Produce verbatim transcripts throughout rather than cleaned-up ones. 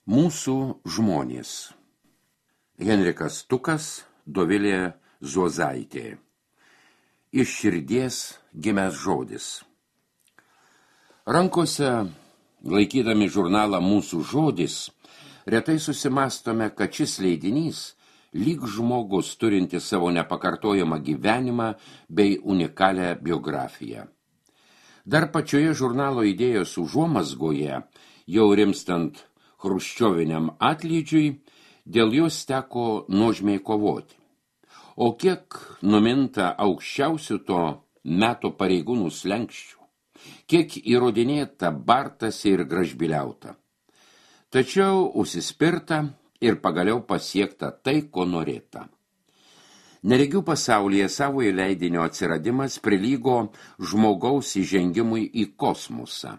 Mūsų žmonės. Henrikas Tukas, Dovilė Zuozaitė. Iš širdies gimęs žodis. Rankose, laikydami žurnalą Mūsų žodis, retai susimastome, kad šis leidinys lyg žmogus turinti savo nepakartojamą gyvenimą bei unikalią biografiją. Dar pačioje žurnalo idėjos užuomazgoje, jau rimstant chruščioviniam atlydžiui, dėl jos teko nuožmiai kovoti. O kiek numinta aukščiausių to meto pareigūnų slenkščių, kiek įrodinėta, bartasi ir gražbiliauta. Tačiau užsispirta ir pagaliau pasiekta tai, ko norėta. Neregių pasaulyje savojo leidinio atsiradimas prilygo žmogaus įžengimui į kosmosą.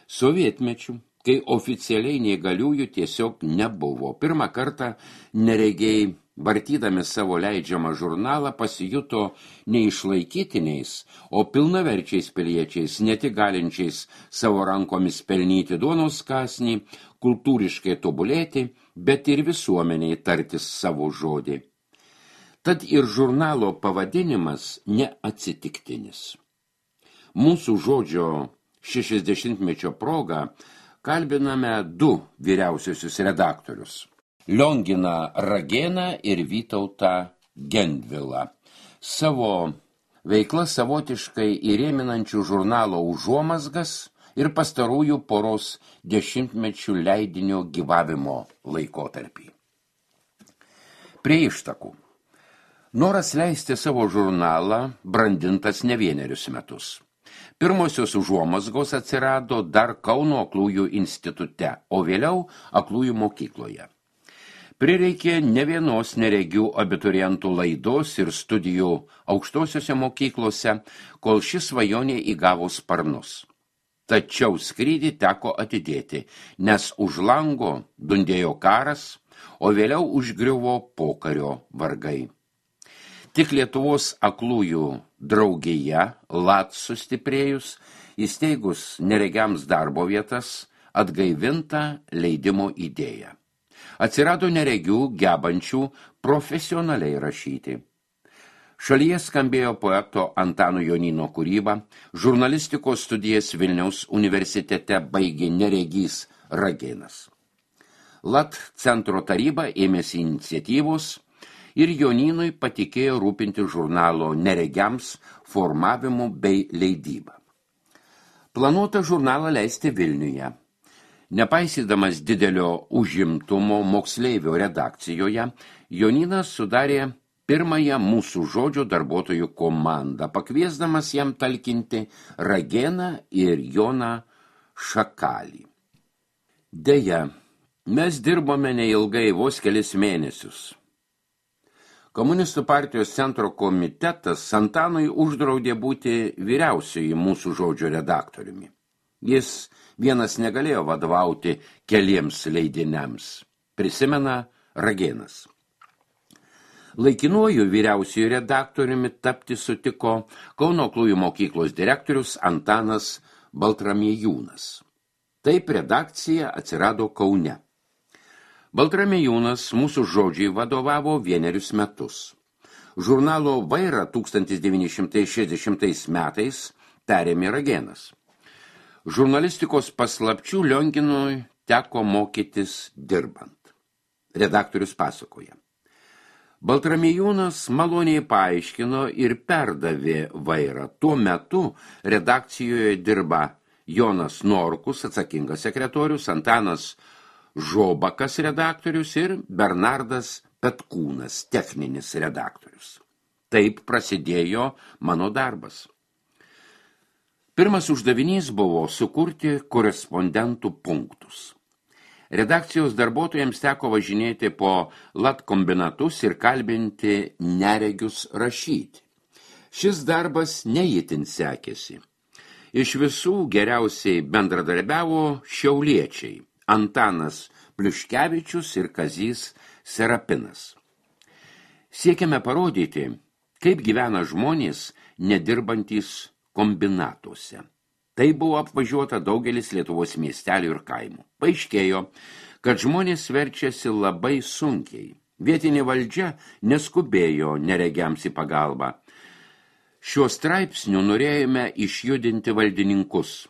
Sovietmečiu, kai oficialiai neįgaliųjų tiesiog nebuvo, pirmą kartą neregiai, vartydami savo leidžiamą žurnalą, pasijuto neišlaikytiniais, o pilnaverčiais piliečiais, ne tik galinčiais savo rankomis pelnyti duonos kąsnį, kultūriškai tobulėti, bet ir visuomeniai tartis savo žodį. Tad ir žurnalo pavadinimas neatsitiktinis. Mūsų žodžio šešiasdešimtmečio proga kalbiname du vyriausiosius redaktorius – Lionginą Ragėną ir Vytautą Gendvilą. Savo veiklą savotiškai įrėminančių žurnalo užuomazgas ir pastarųjų poros dešimtmečių leidinio gyvavimo laikotarpį. Prie ištakų. Noras leisti savo žurnalą brandintas ne vienerius metus. Pirmosios užuomazgos atsirado dar Kauno aklųjų institute, o vėliau aklųjų mokykloje. Prireikė ne vienos neregių abiturientų laidos ir studijų aukštosiuose mokyklose, kol ši svajonė įgavo sparnus. Tačiau skrydį teko atidėti, nes už lango dundėjo karas, o vėliau užgriuvo pokario vargai. Tik Lietuvos aklųjų draugija, L A T sustiprėjus, įsteigus neregiams darbo vietas, atgaivinta leidimo idėja. Atsirado neregių gebančių profesionaliai rašyti. Šalyje skambėjo poeto Antano Jonyno kūryba, žurnalistikos studijas Vilniaus universitete baigė neregys Ragėnas. L A T centro taryba ėmėsi iniciatyvos ir Jonynui patikėjo rūpinti žurnalo neregiams formavimu bei leidyba. Planuota žurnalą leisti Vilniuje. Nepaisydamas didelio užimtumo moksleivio redakcijoje, Jonynas sudarė pirmąją Mūsų žodžio darbuotojų komandą, pakviesdamas jam talkinti Ragėną ir Joną Šakalį. Deja, mes dirbome neilgai, vos kelis mėnesius. Komunistų partijos centro komitetas Antanui uždraudė būti vyriausioji Mūsų žodžio redaktoriumi. Jis vienas negalėjo vadovauti keliems leidiniams, prisimena Ragėnas. Laikinuoju vyriausioju redaktoriumi tapti sutiko Kauno aklųjų mokyklos direktorius Antanas Baltramiejūnas. Taip redakcija atsirado Kaune. Baltramiejūnas Mūsų žodžiai vadovavo vienerius metus. Žurnalo vairą tūkstantis devyni šimtai šešiasdešimtais metais perėmė Ragėnas. Žurnalistikos paslapčių Lionginui teko mokytis dirbant. Redaktorius pasakoja. Baltramiejūnas maloniai paaiškino ir perdavė vairą. Tuo metu redakcijoje dirba Jonas Norkus, atsakingas sekretorius, Antanas Žobakas redaktorius ir Bernardas Petkūnas, techninis redaktorius. Taip prasidėjo mano darbas. Pirmas uždavinys buvo sukurti korespondentų punktus. Redakcijos darbuotojams teko važinėti po L A T kombinatus ir kalbinti neregius rašyti. Šis darbas neįtin sekėsi. Iš visų geriausiai bendradarbiavo šiauliečiai Antanas Pliuškevičius ir Kazys Serapinas. Siekiame parodyti, kaip gyvena žmonės nedirbantys kombinatuose. Tai buvo apvažiuota daugelis Lietuvos miestelių ir kaimų. Paaiškėjo, kad žmonės verčiasi labai sunkiai. Vietinė valdžia neskubėjo neregiams į pagalbą. Šiuo straipsniu norėjome išjudinti valdininkus.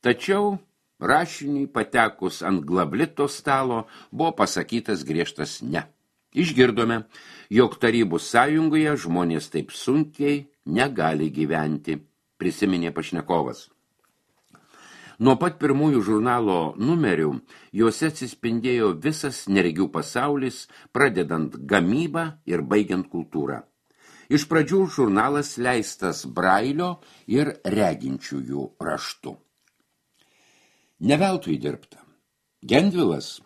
Tačiau rašiniui patekus ant glablito stalo buvo pasakytas griežtas ne. Išgirdome, jog Tarybų sąjungoje žmonės taip sunkiai negali gyventi, prisiminė pašnekovas. Nuo pat pirmųjų žurnalo numerių juose atsispindėjo visas neregių pasaulis, pradedant gamybą ir baigiant kultūrą. Iš pradžių žurnalas leistas brailio ir reginčiųjų raštu. Neveltui dirbta. Gendvilas,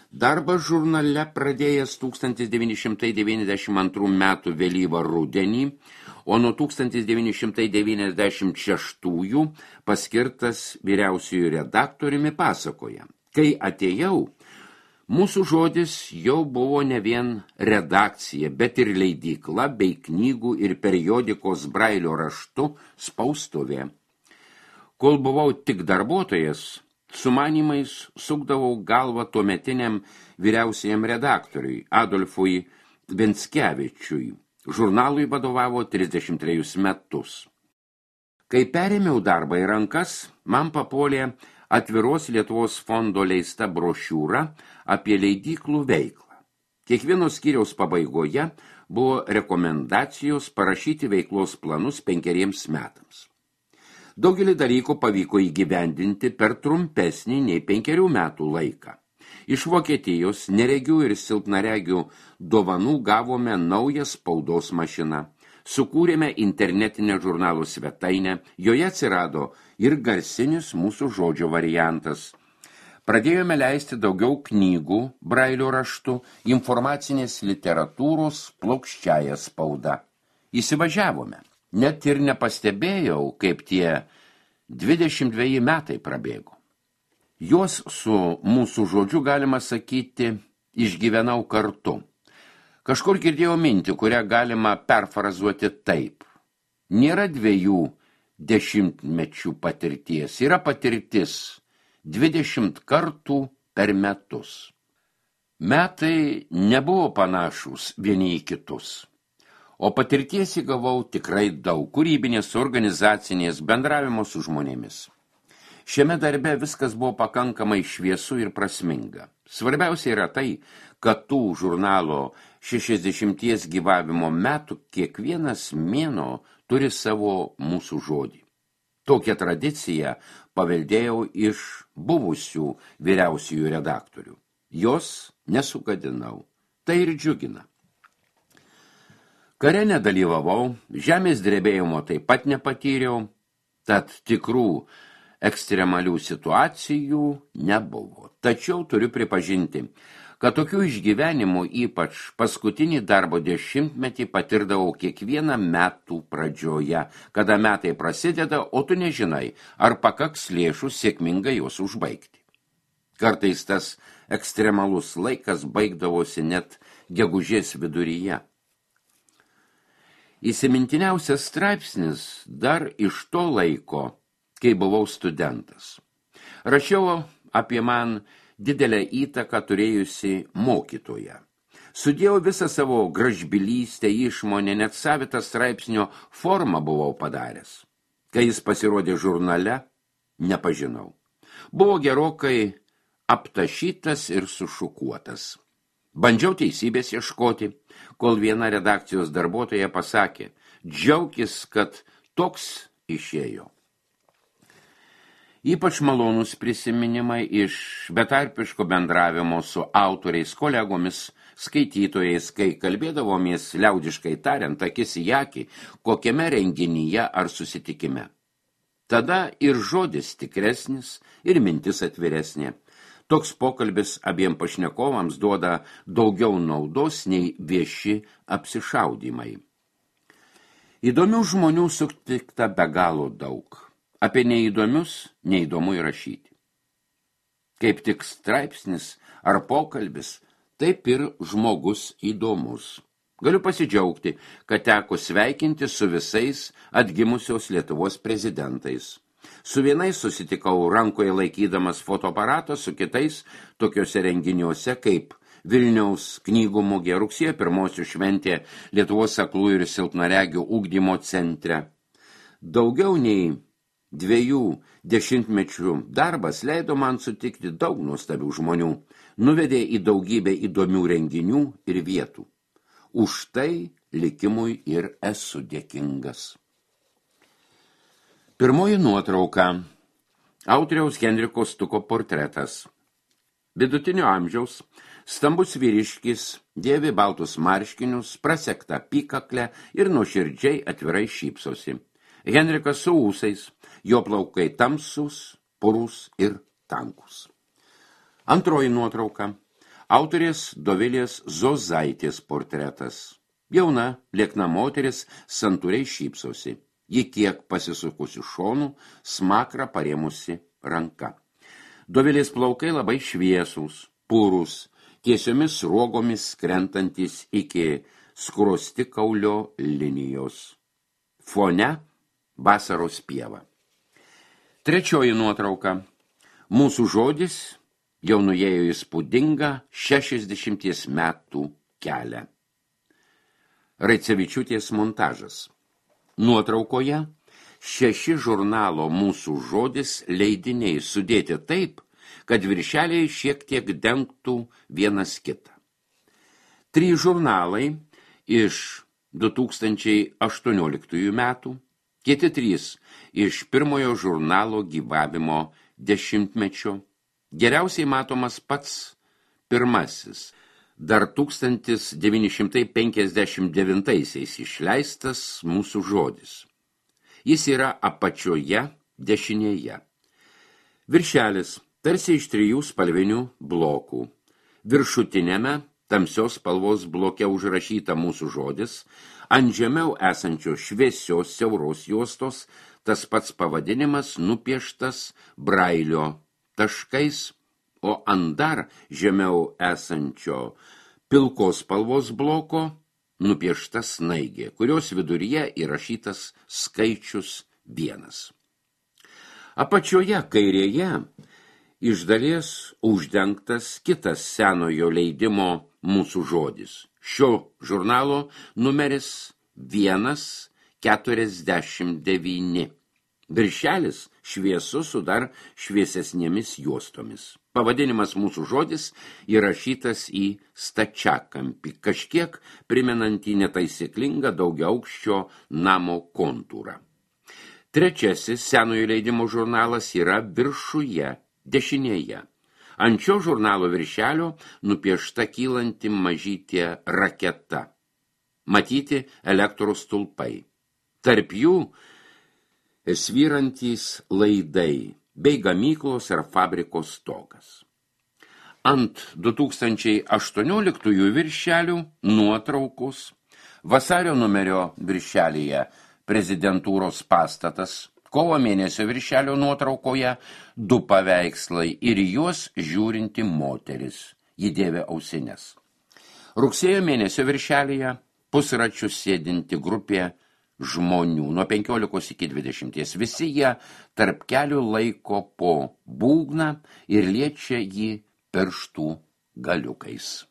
darbą žurnale pradėjęs tūkstantis devyni šimtai devyniasdešimt antrų metų vėlyvą rudenį, o nuo tūkstantis devyni šimtai devyniasdešimt šeštųjų paskirtas vyriausiųjų redaktoriumi pasakoja. Kai atėjau, mūsų žodis jau buvo ne vien redakcija, bet ir leidykla bei knygų ir periodikos brailio raštu spaustuvė. Kol buvau tik darbuotojas, sumanymais sukdavau galvą tuometiniam vyriausiajam redaktoriui Adolfui Venckevičiui. Žurnalui vadovavo trisdešimt trejus metus. Kai perėmiau darbą į rankas, man papolė Atviros Lietuvos fondo leista brošiūra apie leidyklų veiklą. Kiekvieno skyriaus pabaigoje buvo rekomendacijos parašyti veiklos planus penkeriems metams. Daugelį dalykų pavyko įgyvendinti per trumpesnį nei penkerių metų laiką. Iš Vokietijos neregių ir silpnaregių dovanų gavome naują spaudos mašiną. Sukūrėme internetinę žurnalų svetainę, joje atsirado ir garsinis mūsų žodžio variantas. Pradėjome leisti daugiau knygų brailio raštu, informacinės literatūros plokščiąją spaudą. Įsivažiavome. Net ir nepastebėjau, kaip tie dvidešimt dveji metai prabėgo. Juos su mūsų žodžiu, galima sakyti, išgyvenau kartu. Kažkur girdėjau mintį, kurią galima perfrazuoti taip. Nėra dviejų dešimtmečių patirties, yra patirtis dvidešimt kartų per metus. Metai nebuvo panašūs vieni į kitus, o patirties įgavau tikrai daug kūrybinės, organizacinės, bendravimo su žmonėmis. Šiame darbe viskas buvo pakankamai šviesu ir prasminga. Svarbiausia yra tai, kad tų žurnalo šešiasdešimties gyvavimo metų kiekvienas mėnuo turi savo mūsų žodį. Tokią tradiciją paveldėjau iš buvusių vyriausiųjų redaktorių. Jos nesugadinau. Tai ir džiugina. Kare nedalyvavau, žemės drebėjimo taip pat nepatyriau, tad tikrų ekstremalių situacijų nebuvo. Tačiau turiu pripažinti, kad tokių išgyvenimų ypač paskutinį darbo dešimtmetį patirdavau kiekvieną metų pradžioje, kada metai prasideda, o tu nežinai, ar pakaks lėšų sėkmingai juos užbaigti. Kartais tas ekstremalus laikas baigdavosi net gegužės viduryje. Įsimintiniausias straipsnis dar iš to laiko, kai buvau studentas. Rašiau apie man didelę įtaką turėjusi mokytoją. Sudėjau visą savo gražbylystę, išmonę, net savitą straipsnio formą buvau padaręs. Kai jis pasirodė žurnale, nepažinau. Buvo gerokai aptašytas ir sušukuotas. Bandžiau teisybės ieškoti, kol viena redakcijos darbuotoja pasakė, džiaukis, kad toks išėjo. Ypač malonus prisiminimai iš betarpiško bendravimo su autoriais, kolegomis, skaitytojais, kai kalbėdavomės liaudiškai tariant akis į akį, kokiame renginyje ar susitikime. Tada ir žodis tikresnis, ir mintis atviresnė. Toks pokalbis abiem pašnekovams duoda daugiau naudos nei vieši apsišaudymai. Įdomių žmonių sutikta be galo daug. Apie neįdomius neįdomu įrašyti. Kaip tik straipsnis ar pokalbis, taip ir žmogus įdomus. Galiu pasidžiaugti, kad teko sveikinti su visais atgimusios Lietuvos prezidentais. Su vienais susitikau rankoje laikydamas fotoaparatą, su kitais tokiuose renginiuose kaip Vilniaus knygų mugė, rugsėjo pirmosių šventė Lietuvos aklų ir silpnaregių ugdymo centre. Daugiau nei dviejų dešimtmečių darbas leido man sutikti daug nuostabių žmonių, nuvedė į daugybę įdomių renginių ir vietų. Už tai likimui ir esu dėkingas. Pirmoji nuotrauka. Autoriaus Henriko Stuko portretas. Vidutinio amžiaus, stambus vyriškis, dėvi baltus marškinius, prasekta apykaklę ir nuoširdžiai atvirai šypsosi. Henrikas su ūsais, jo plaukai tamsus, purus ir tankus. Antroji nuotrauka. Autorės Dovilės Zozaitės portretas. Jauna, liekna moteris santūriai šypsosi. Ji kiek pasisukusi šonų, smakrą parėmusi ranka. Dovilės plaukai labai šviesūs, purus, tiesiomis sruogomis krentantis iki skruostikaulio linijos. Fone vasaros pieva. Trečioji nuotrauka. Mūsų žodis jau nuėjo įspūdingą šešiasdešimties metų kelią. Raicevičiūtės montažas. Nuotraukoje šeši žurnalo Mūsų žodis leidiniai sudėti taip, kad viršeliai šiek tiek dengtų vienas kitą. Trys žurnalai iš du tūkstančiai aštuonioliktųjų metų, kiti trys iš pirmojo žurnalo gyvavimo dešimtmečio, geriausiai matomas pats pirmasis, dar tūkstantis devyni šimtai penkiasdešimt devintaisiais išleistas Mūsų žodis. Jis yra apačioje dešinėje. Viršelis tarsi iš trijų spalvinių blokų. Viršutinėme tamsios spalvos bloke užrašyta Mūsų žodis, ant žemiau esančios šviesios siauros juostos tas pats pavadinimas nupieštas brailio taškais, o ant dar žemiau esančio pilkos spalvos bloko nupiešta snaigė, kurios viduryje įrašytas skaičius vienas. Apačioje kairėje iš dalies uždengtas kitas senojo leidimo Mūsų žodis. Šio žurnalo numeris vienas keturiasdešimt devyni. Viršelis šviesus su dar šviesesnėmis juostomis. Pavadinimas Mūsų žodis įrašytas į stačiakampį, kažkiek primenantį netaisyklingą daugiaaukščio namo kontūrą. Trečiasis senojo leidimo žurnalas yra viršuje, dešinėje. Ant šio žurnalo viršelio nupiešta kylanti mažytė raketa. Matyti elektros stulpai. Tarp jų svyrantys laidai bei gamyklos ar fabrikos stogas. Ant du tūkstančiai aštuonioliktųjų viršelių nuotraukos, vasario numerio viršelyje prezidentūros pastatas, kovo mėnesio viršelio nuotraukoje du paveikslai ir juos žiūrinti moteris, ji dėvė ausines. Rugsėjo mėnesio viršelyje pusračių sėdinti grupė žmonių nuo penkiolikos iki dvidešimties. Visi jie tarp kelių laiko po būgną ir liečia jį pirštų galiukais.